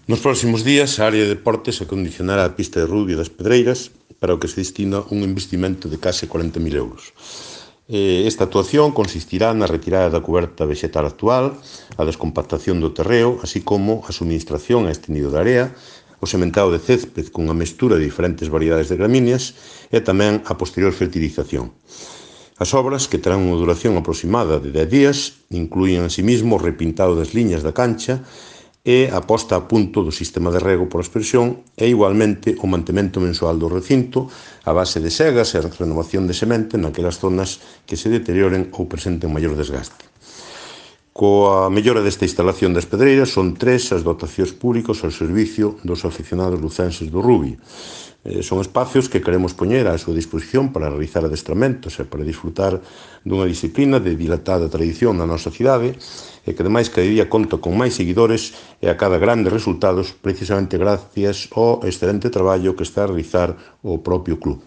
Nos próximos días, a área de deportes acondicionará a pista de rugby das Pedreiras, para o que se destina un investimento de case 40.000 euros. Esta actuación consistirá na retirada da cuberta vexetal actual, a descompactación do terreo, así como a suministración a este nido de area, o sementado de césped cunha mestura de diferentes variedades de gramíneas e tamén a posterior fertilización. As obras, que terán unha duración aproximada de 10 días, incluín asimismo o repintado das liñas da cancha e a posta a punto do sistema de rego por aspersión e, igualmente, o mantemento mensual do recinto a base de segas e a renovación de semente naquelas zonas que se deterioren ou presenten maior desgaste. Coa mellora desta instalación das Pedreiras, son 3 as dotacións públicas ao servicio dos aficionados lucenses do rugby. Son espacios que queremos poñer á súa disposición para realizar adestramentos e para disfrutar dunha disciplina de dilatada tradición na nosa cidade e que, ademais, cada día conta con máis seguidores e acada grandes resultados precisamente gracias ao excelente traballo que está a realizar o propio club.